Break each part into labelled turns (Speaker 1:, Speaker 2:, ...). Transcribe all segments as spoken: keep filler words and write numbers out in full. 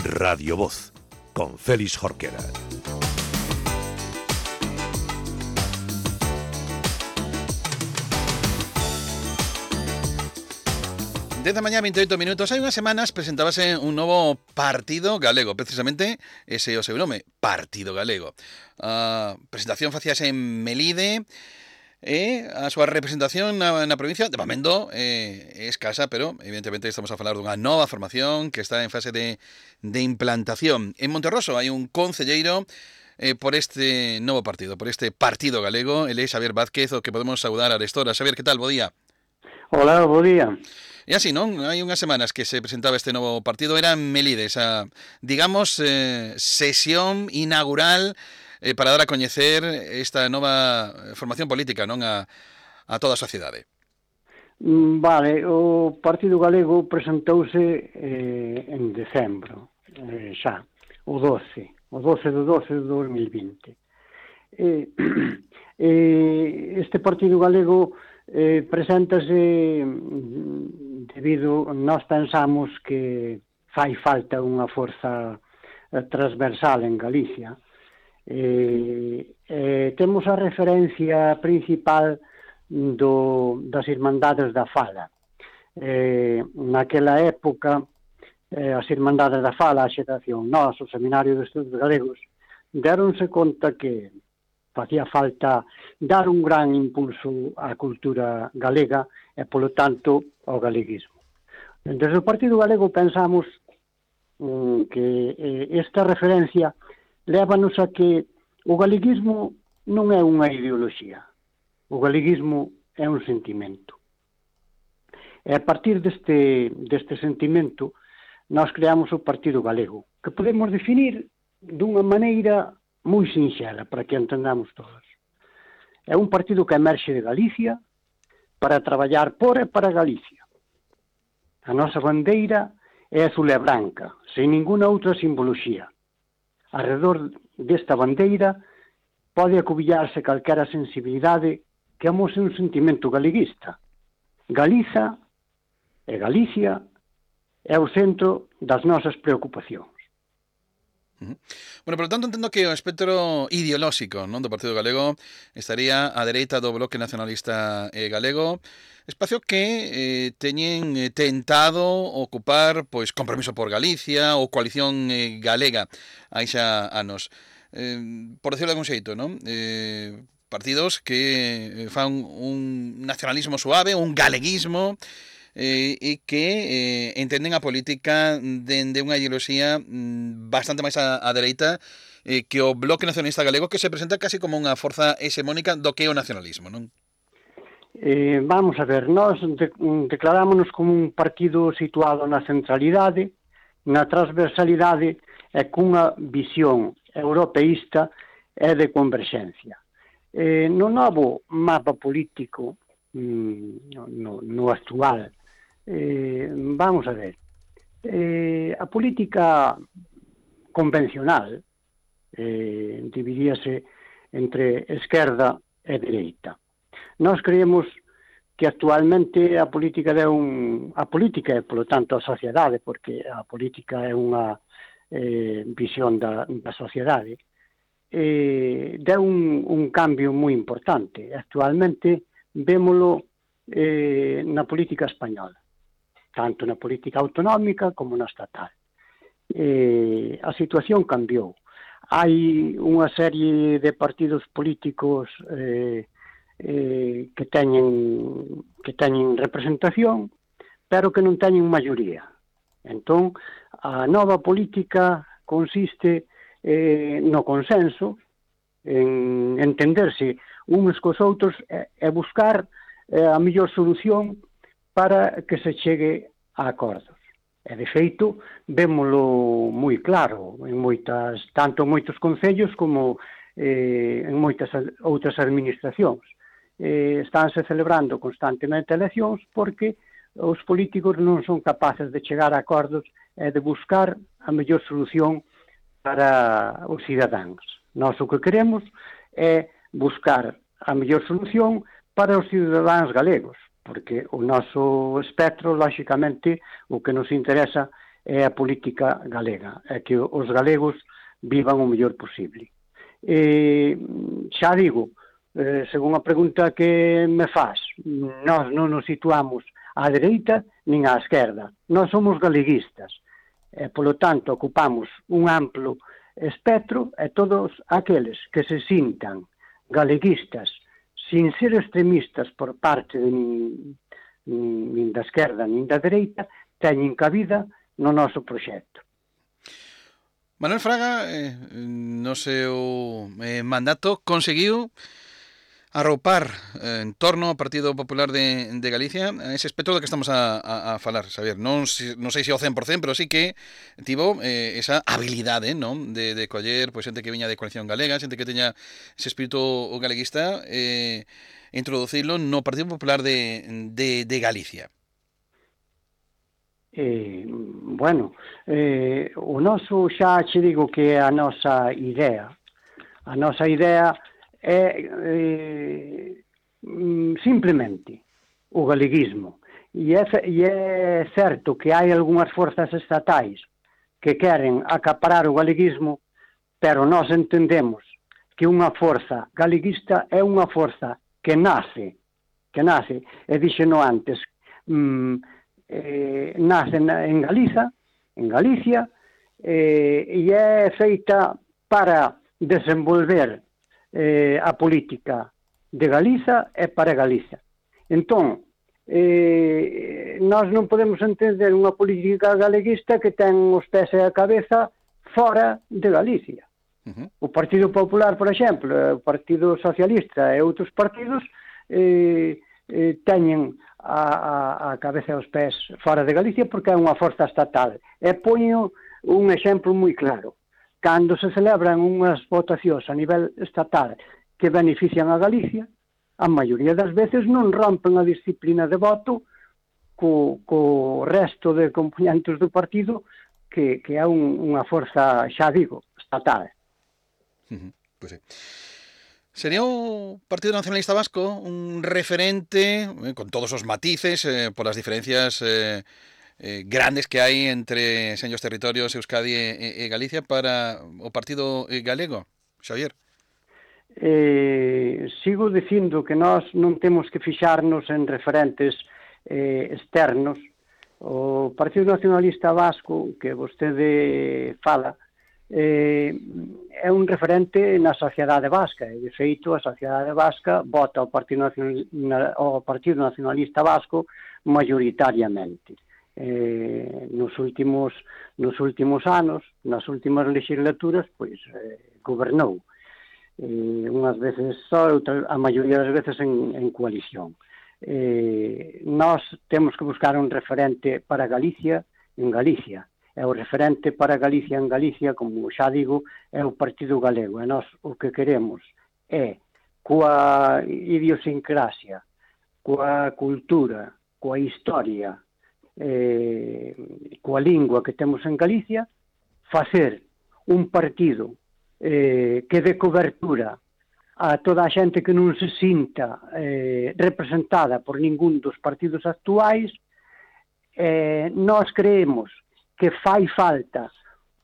Speaker 1: Radio Voz, con Félix Jorquera.
Speaker 2: dez da mañá, vinte e oito minutos. Hai unhas semanas presentábase un novo partido galego, precisamente ese é o seu nome, Partido Galego. A presentación facíase en Melide e a súa representación na, na provincia de Bamendo eh, é escasa, pero evidentemente estamos a falar dunha nova formación que está en fase de, de implantación. En Monterroso hai un concelleiro eh, por este novo partido, por este Partido Galego, ele é Xavier Vázquez, o que podemos saudar a Arestora. Xavier, que tal? Bo día.
Speaker 3: Hola, bo día.
Speaker 2: E así, non? Hai unhas semanas que se presentaba este novo partido, era en Melide, esa, digamos, eh, sesión inaugural eh, para dar a coñecer esta nova formación política, non, a, a toda a sociedade.
Speaker 3: Vale, o Partido Galego presentouse eh, en decembro, eh, xa, o doce, o doce do doce de dos mil vinte. Eh, eh, este Partido Galego eh, preséntase debido, nós pensamos que fai falta unha forza transversal en Galicia. Eh, eh, temos a referencia principal do, das Irmandades da Fala. Eh, naquela época, eh, as Irmandades da Fala, a Xeración Nós, o Seminario de Estudos Galegos, deronse conta que facía falta dar un gran impulso á cultura galega e, polo tanto, ao galeguismo. Desde o Partido Galego pensamos mm, que eh, esta referencia lévanos a que o galeguismo non é unha ideoloxía. O galeguismo é un sentimento. E a partir deste, deste sentimento, nós creamos o Partido Galego, que podemos definir dunha maneira moi sinxela, para que entendamos todos. É un partido que emerxe de Galicia para traballar por e para Galicia. A nosa bandeira é azul e branca, sen ninguna outra simboloxía. Arredor desta bandeira pode acubillarse calquera sensibilidade que amose un sentimento galeguista. Galiza e Galicia é o centro das nosas preocupacións.
Speaker 2: Uh-huh. Bueno, por lo tanto, entendo que o espectro ideolóxico, non, do Partido Galego estaría á dereita do Bloque Nacionalista eh, Galego, espacio que eh, teñen eh, tentado ocupar pois Compromiso por Galicia ou Coalición eh, Galega hai xa anos. Eh, por decirlo de algún xeito, non? Eh, partidos que fan un nacionalismo suave, un galeguismo, Eh, e que eh, entenden a política dende unha ideoloxía mm, bastante máis a, a dereita eh, que o Bloque Nacionalista Galego, que se presenta casi como unha forza hexemónica do que é o nacionalismo, non?
Speaker 3: Eh, vamos a ver, nós de, declarámonos como un partido situado na centralidade, na transversalidade e cunha visión europeísta e de converxencia. Eh, no novo mapa político, mm, no, no actual, Eh, vamos a ver, eh, a política convencional eh, dividíase entre esquerda e dereita. Nós creemos que actualmente a política é un, a política e, polo tanto, a sociedade, porque a política é unha eh, visión da, da sociedade, eh, deu un, un cambio moi importante. Actualmente vémolo eh, na política española, tanto na política autonómica como na estatal. Eh, a situación cambiou. Hai unha serie de partidos políticos eh, eh, que teñen que teñen representación, pero que non teñen maioría. Entón, a nova política consiste eh, no consenso, en entenderse uns cos outros e, e buscar eh, a mellor solución para que se chegue a acordos. E, de feito, vémolo moi claro, en moitas, tanto en moitos concellos como eh, en moitas outras administracións. Eh, estánse celebrando constantemente eleccións porque os políticos non son capaces de chegar a acordos e de buscar a mellor solución para os cidadáns. Nós o que queremos é buscar a mellor solución para os cidadáns galegos, porque o noso espectro, lóxicamente, o que nos interesa é a política galega, é que os galegos vivan o mellor posible. E, xa digo, eh, según a pregunta que me faz, nós non nos situamos á dereita nin á esquerda, nós somos galeguistas, e, polo tanto, ocupamos un amplo espectro e todos aqueles que se sintan galeguistas sin ser extremistas por parte de nin, nin da esquerda nin da dereita, teñen cabida no noso proxecto.
Speaker 2: Manuel Fraga, eh, no seu eh, mandato, conseguiu arropar eh, en torno ao Partido Popular de, de Galicia ese espectro do que estamos a, a, a falar, Xavier. Non, non sei se ao cen por cen, pero sí que tivo eh, esa habilidade, non, de, de coller pois, xente que viña de Coalición Galega, xente que teña ese espírito galeguista, eh, introducilo no Partido Popular de, de, de Galicia.
Speaker 3: Eh, bueno, eh, o noso xa che digo que a nosa idea, a nosa idea é eh, simplemente o galeguismo. E é, e é certo que hai algunhas forzas estatais que queren acaparar o galeguismo, pero nós entendemos que unha forza galeguista é unha forza que nace, que nace, e dixeno antes, mm, Eh, nace en Galiza, en Galicia, eh, e é feita para desenvolver eh, a política de Galiza e para Galiza. Entón, eh, nós non podemos entender unha política galeguista que ten os pés e a cabeza fora de Galicia. Uh-huh. O Partido Popular, por exemplo, o Partido Socialista e outros partidos eh, eh, teñen a, a, a cabeza e os pés fora de Galicia porque é unha forza estatal. E poño un exemplo moi claro. Cando se celebran unhas votacións a nivel estatal que benefician a Galicia, a maioría das veces non rompen a disciplina de voto co, co resto de componentes do partido que, que é un, unha forza, xa digo, estatal.
Speaker 2: Uh-huh. Pois sí. Sería o Partido Nacionalista Vasco un referente, eh, con todos os matices, eh, por as diferencias eh, eh, grandes que hai entre seños territorios Euskadi e, e Galicia para o Partido Galego, Xavier?
Speaker 3: Eh, sigo dicindo que nós non temos que fixarnos en referentes eh, externos. O Partido Nacionalista Vasco, que vostede fala, Eh, é un referente na sociedade vasca, e de feito a sociedade vasca vota ao Partido, Nacional, ao Partido Nacionalista Vasco maioritariamente. Eh, nos últimos nos últimos anos, nas últimas legislaturas, pois eh, gobernou eh, unhas veces só, outra, a maioría das veces en, en coalición. Eh, nós temos que buscar un referente para Galicia en Galicia. É o referente para Galicia en Galicia, como xa digo, é o Partido Galego. E nós o que queremos é, coa idiosincrasia, coa cultura, coa historia, eh, coa lingua que temos en Galicia, facer un partido eh, que dé cobertura a toda a xente que non se sinta eh, representada por ningún dos partidos actuais. Eh, nós creemos que fai falta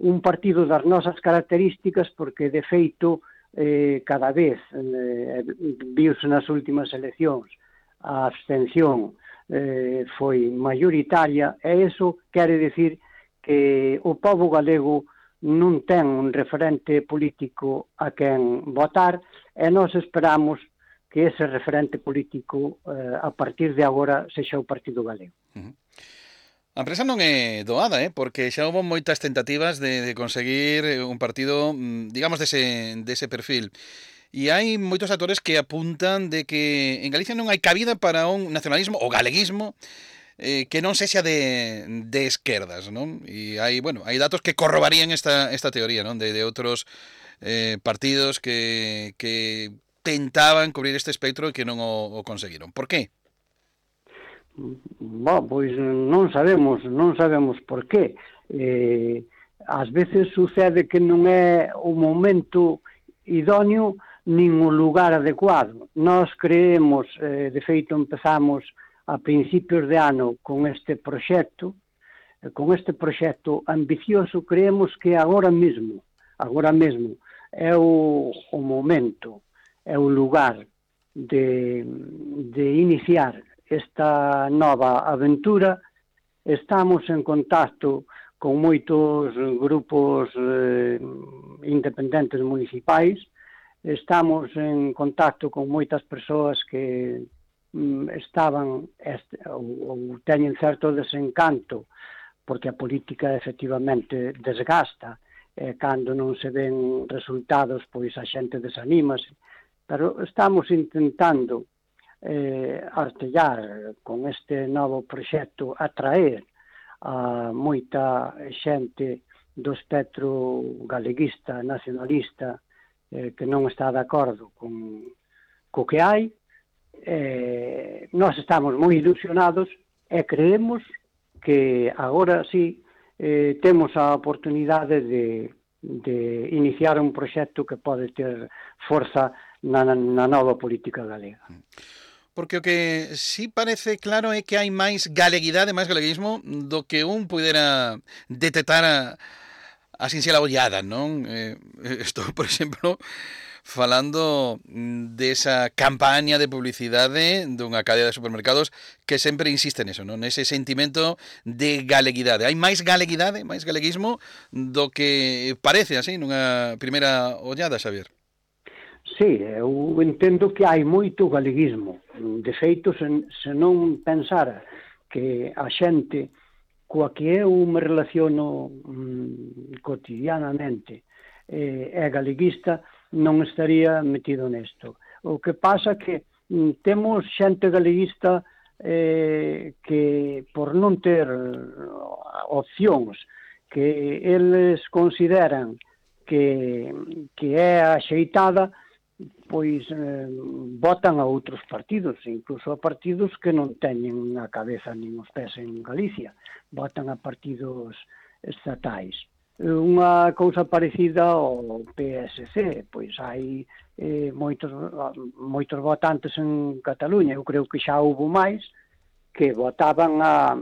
Speaker 3: un partido das nosas características porque, de feito, eh, cada vez eh, viuse nas últimas eleccións a abstención eh, foi maioritaria e iso quere dicir que o pobo galego non ten un referente político a quen votar e nós esperamos que ese referente político eh, a partir de agora sexa o Partido Galego.
Speaker 2: Uh-huh. A empresa non é doada, eh? Porque xa houve moitas tentativas de, de conseguir un partido, digamos, dese, dese perfil. E hai moitos actores que apuntan de que en Galicia non hai cabida para un nacionalismo ou galeguismo eh, que non sexa de, de esquerdas, non? E hai, bueno, hai datos que corrobarían esta, esta teoría, non? De, de outros eh, partidos que, que tentaban cubrir este espectro e que non o, o conseguiron. Por qué?
Speaker 3: Bo, pois non sabemos, non sabemos por qué. Eh, ás veces sucede que non é o momento idóneo nin o lugar adecuado. Nós creemos, eh, de feito empezamos a principios de ano con este proxecto, con este proxecto ambicioso, creemos que agora mesmo, agora mesmo, é o, o momento, é o lugar de, de iniciar esta nova aventura. Estamos en contacto con moitos grupos eh, independentes municipais, estamos en contacto con moitas persoas que mm, estaban este, ou, ou teñen certo desencanto porque a política efectivamente desgasta, e cando non se ven resultados pois a xente desanímase, pero estamos intentando eh, artellar con este novo proxecto atraer a moita xente do espectro galeguista, nacionalista, eh, que non está de acordo con co que hai. Eh, nós estamos moi ilusionados e creemos que agora sí eh, temos a oportunidade de, de iniciar un proxecto que pode ter forza na, na nova política galega.
Speaker 2: Porque o que sí parece claro é que hai máis galeguidade, máis galeguismo do que un pudera detectar a, a sinxela ollada, non? Eh, estou, por exemplo, falando desa campaña de publicidade dunha cadea de supermercados que sempre insiste neso, non? Nese sentimento de galeguidade. Hai máis galeguidade, máis galeguismo do que parece así nunha primeira ollada, Xavier.
Speaker 3: Sí, eu entendo que hai moito galeguismo. De feito, se, se non pensara que a xente coa que eu me relaciono mm, cotidianamente eh, é galeguista, non estaría metido nesto. O que pasa que mm, temos xente galeguista eh, que por non ter opcións que eles consideran que, que é axeitada, pois eh, votan a outros partidos, incluso a partidos que non teñen a cabeza nin os pés en Galicia, votan a partidos estatais. Unha cousa parecida ao P S C, pois hai eh, moitos, moitos votantes en Cataluña, eu creo que xa houve máis, que votaban a,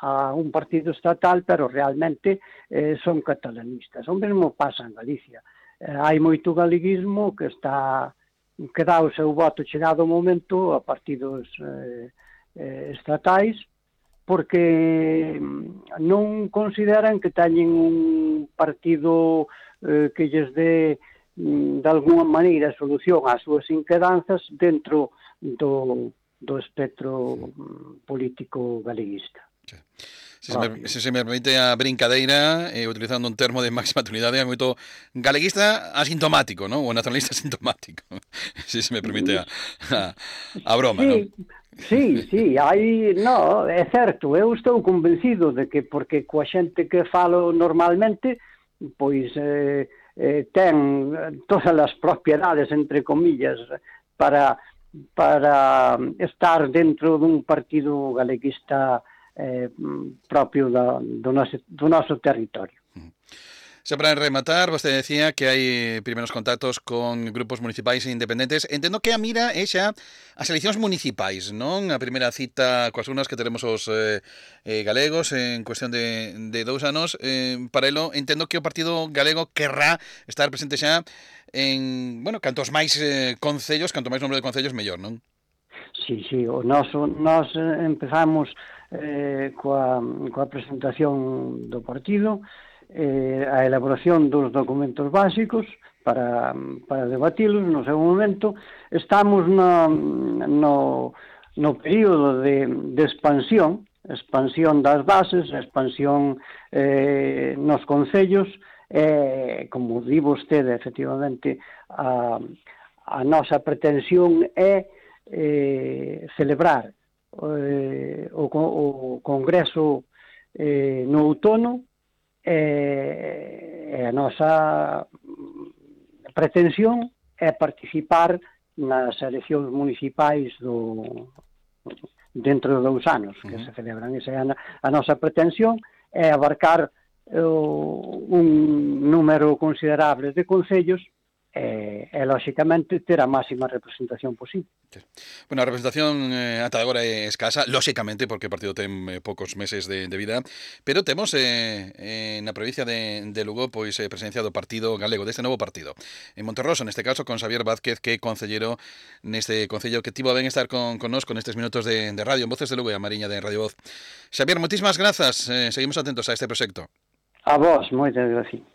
Speaker 3: a un partido estatal, pero realmente eh, son catalanistas. O mesmo pasa en Galicia. Hai moito galeguismo que está que dá o seu voto chegado o momento a partidos eh, eh, estatais porque non consideran que teñen un partido eh, que lles dé de alguma maneira solución ás súas inquedanzas dentro do, do espectro político galeguista.
Speaker 2: Sí. Se, se, me, se se me permite a brincadeira, eh, utilizando un termo de máxima actualidade, é moito galeguista asintomático, ¿no? O nacionalista asintomático. Se se me permite a, a, a broma,
Speaker 3: sí,
Speaker 2: ¿no?
Speaker 3: Sí, sí, hai, no, é certo, eu estou convencido de que porque coa xente que falo normalmente, pois eh, eh, ten todas as propiedades, entre comillas, para, para estar dentro dun partido galeguista Eh, propio da, do, noso, do noso territorio.
Speaker 2: Xa para rematar, vostede decía que hai primeiros contactos con grupos municipais e independentes. Entendo que a mira é xa as eleccións municipais, non? A primeira cita coas urnas que teremos os eh, eh, galegos en cuestión de, de dous anos. Eh, para elo, entendo que o Partido Galego querrá estar presente xa en, bueno, cantos máis eh, concellos, canto máis número de concellos, mellor, non?
Speaker 3: Sí, sí, o noso, nós empezamos eh, coa, coa presentación do partido, eh, a elaboración dos documentos básicos para, para debatilos no seu momento. Estamos no, no, no período de, de expansión, expansión das bases, expansión eh, nos concellos, eh, como di vostede, efectivamente, a, a nosa pretensión é eh, celebrar eh, o, o Congreso eh, no outono e eh, a nosa pretensión é participar nas eleccións municipais do, dentro de dous anos que uh-huh. se celebran. Esa é a, a nosa pretensión, é abarcar uh, un número considerable de concellos e, e lóxicamente, ter a máxima representación posible.
Speaker 2: Bueno, a representación eh, ata agora é escasa, lóxicamente, porque o partido ten eh, poucos meses de, de vida, pero temos eh, eh, na provincia de, de Lugo pois eh, presencia do partido galego, deste novo partido. En Monterroso, neste caso, con Xavier Vázquez, que é concellero neste concello, que tivo a ben estar con, con nos con estes minutos de, de radio, en Voces de Lugo e a Mariña de Radio Voz. Xavier, moitísimas grazas, eh, seguimos atentos a este proxecto.
Speaker 3: A vos, moitas gracias.